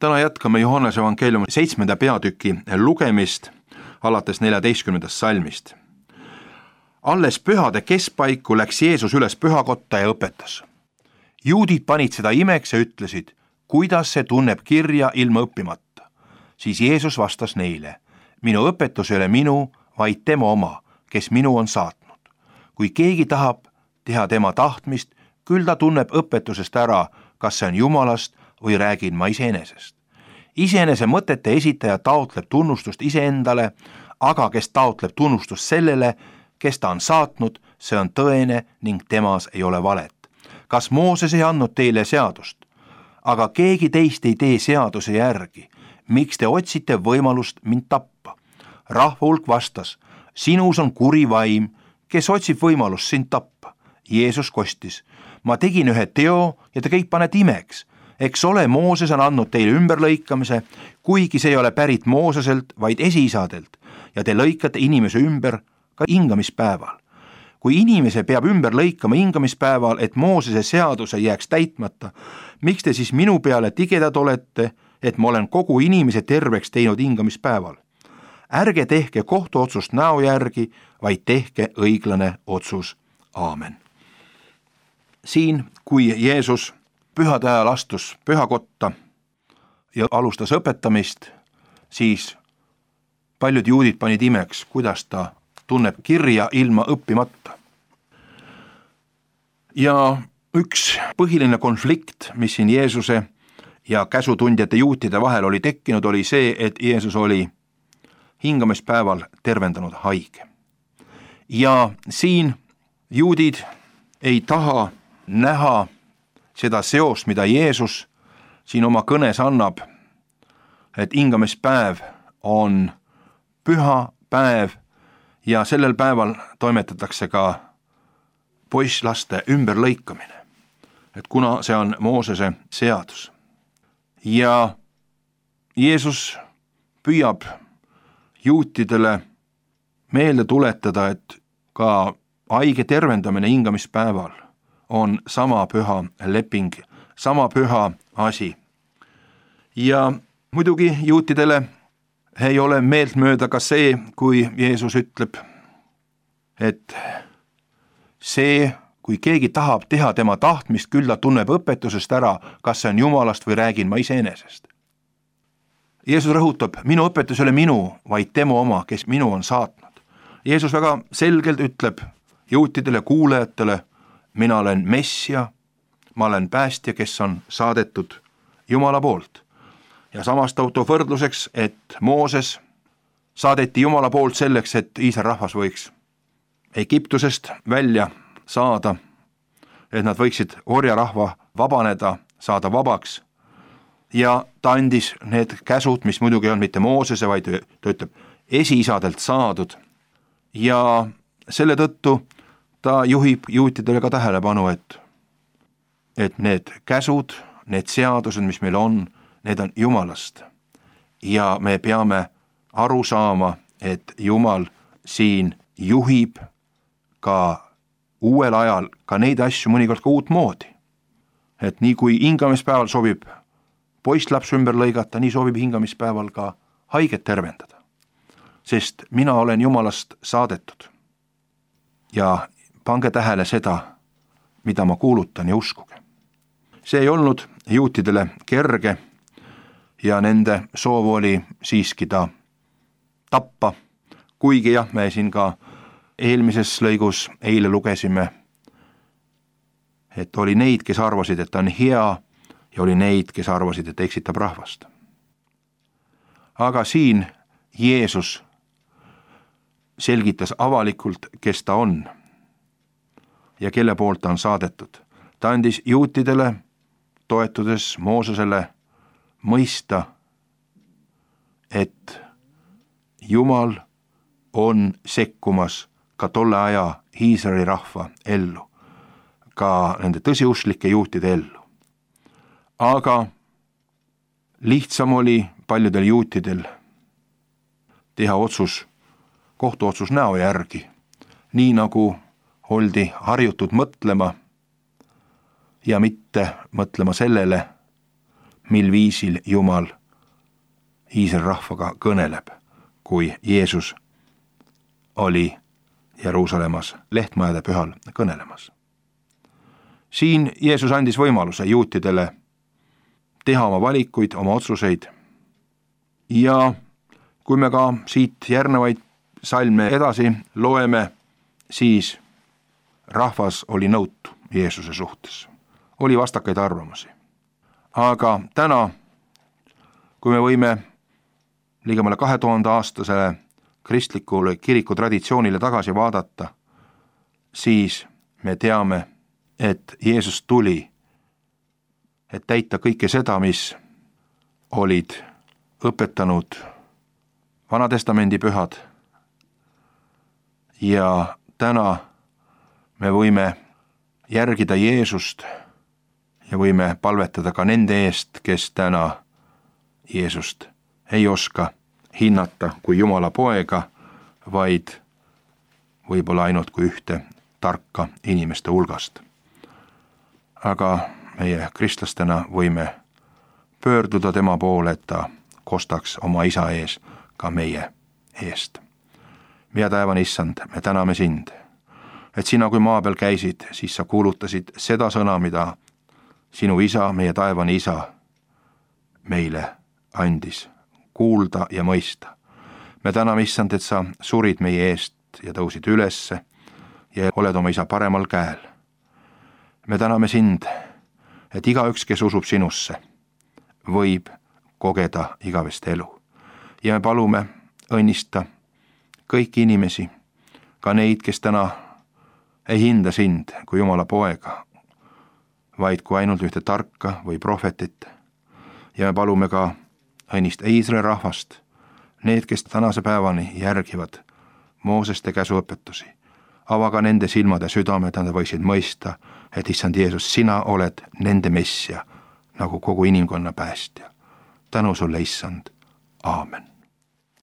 Täna jätkame Johannese evangeeliumi 7. peatüki lugemist alates 14. salmist. Alles pühade keskpaiku läks Jeesus üles pühakotta ja õpetas. Juudid panid seda imeks ja ütlesid, kuidas see tunneb kirja ilma õppimata. Siis Jeesus vastas neile, minu õpetus ei ole minu, vaid tema oma, kes minu on saatnud. Kui keegi tahab teha tema tahtmist, küll ta tunneb õpetusest ära, kas see on Jumalast või räägin ma iseenesest. Iseenese mõtete esitaja taotleb tunnustust iseendale, aga kes taotleb tunnustust sellele, kes ta on saatnud, see on tõene ning temas ei ole valet. Kas Mooses ei andnud teile seadust? Aga keegi teist ei tee seaduse järgi. Miks te otsite võimalust mind tappa? Rahva hulk vastas, sinus on kuri vaim, kes otsib võimalust sind tappa. Jeesus kostis, ma tegin ühe teo ja te kõik panete imeks. Eks ole, Mooses on andnud teile ümberlõikamise, kuigi see ei ole pärit Mooseselt, vaid esiisadelt, ja te lõikate inimese ümber ka hingamispäeval. Kui inimese peab ümber lõikama hingamispäeval, et Moosese seaduse jääks täitmata, miks te siis minu peale tigedad olete, et ma olen kogu inimese terveks teinud hingamispäeval? Ärge tehke kohtuotsust näo järgi, vaid tehke õiglane otsus. Aamen. Siin, kui Jeesus pühade ajal astus pühakotta ja alustas õpetamist, siis paljud juudid panid imeks, kuidas ta tunneb kirja ilma õppimata. Ja üks põhiline konflikt, mis siin Jeesuse ja käsutundjate juutide vahel oli tekkinud, oli see, et Jeesus oli hingamispäeval tervendanud haige. Ja siin juudid ei taha näha seda seost, mida Jeesus siin oma kõnes annab, et hingamispäev on püha päev ja sellel päeval toimetatakse ka poisslaste ümberlõikamine, et kuna see on Moosese seadus. Ja Jeesus püüab juutidele meelde tuletada, et ka haige tervendamine hingamispäeval on sama püha leping, sama püha asi. Ja muidugi juutidele ei ole meeltmööda ka see, kui Jeesus ütleb, et see, kui keegi tahab teha tema tahtmist, küll ta tunneb õpetusest ära, kas see on Jumalast või räägin ma iseenesest. Jeesus rõhutab, minu õpetus ei ole minu, vaid tema oma, kes minu on saatnud. Jeesus väga selgelt ütleb juutidele, kuulajatele, mina olen Messia, ma olen päästja, kes on saadetud Jumala poolt. Ja samas ta toob võrdluseks, et Mooses saadeti Jumala poolt selleks, et Iisraeli rahvas võiks Egiptusest välja saada, et nad võiksid orjarahva vabaneda, saada vabaks. Ja ta andis need käsud, mis muidugi on mitte Moosese, vaid ta ütleb esiisadelt saadud. Ja selle tõttu ta juhib juutidele ka tähelepanu, et need käsud, need seadused, mis meil on, need on Jumalast. Ja me peame aru saama, et Jumal siin juhib ka uuel ajal ka neid asju mõnikord ka uut moodi. Et nii kui hingamispäeval sobib poisslaps ümber lõigata, nii sobib hingamispäeval ka haiget tervendada. Sest mina olen Jumalast saadetud. Ja pange tähele seda, mida ma kuulutan ja uskuge. See ei olnud juutidele kerge ja nende soov oli siiski ta tappa, kuigi jah, me siin ka eelmises lõigus eile lugesime, et oli neid, kes arvasid, et ta on hea ja oli neid, kes arvasid, et eksitab rahvast. Aga siin Jeesus selgitas avalikult, kes ta on ja kelle poolt ta on saadetud. Ta andis juutidele, toetudes Moosesele, mõista, et Jumal on sekkumas ka tolle aja Iisraeli rahva ellu, ka nende tõsiusklike juutide ellu. Aga lihtsam oli paljudel juutidel teha otsus, kohtuotsus näo järgi, nii nagu oldi harjutud mõtlema ja mitte mõtlema sellele, mil viisil Jumal Iisraeli rahvaga kõneleb, kui Jeesus oli Jeruusalemmas lehtmajade pühal kõnelemas. Siin Jeesus andis võimaluse juutidele teha oma valikuid, oma otsuseid ja kui me ka siit järgnevaid salme edasi loeme, siis rahvas oli nõutu Jeesuse suhtes. Oli vastakaid arvamusi. Aga täna, kui me võime ligemale 2000-aastasele kristlikule kiriku traditsioonile tagasi vaadata, siis me teame, et Jeesus tuli, et täita kõike seda, mis olid õpetanud Vanatestamendi pühad. Ja täna me võime järgida Jeesust ja võime palvetada ka nende eest, kes täna Jeesust ei oska hinnata kui Jumala poega, vaid võib-olla ainult kui ühte tarka inimeste hulgast. Aga meie kristlastena võime pöörduda tema poole, et ta kostaks oma isa ees ka meie eest. Meie taevane issand, me täname sind, et sina kui maa peal käisid, siis sa kuulutasid seda sõna, mida sinu isa, meie taevane isa, meile andis kuulda ja mõista. Me täname issand, et sa surid meie eest ja tõusid ülesse ja oled oma isa paremal käel. Me täname sind, et igaüks, kes usub sinusse, võib kogeda igavest elu. Ja me palume õnnista kõiki inimesi, ka neid, kes täna ei hinda sind kui Jumala poega, vaid kui ainult ühte tarka või prohvetit. Ja me palume ka õnnista Iisraeli rahvast, need, kes tänase päevani järgivad Mooseste käsuõpetusi. Ava ka nende silmad ja südamed, nad võiksid mõista, et issand Jeesus, sina oled nende messia, nagu kogu inimkonna päästja. Tänu sulle, issand. Aamen.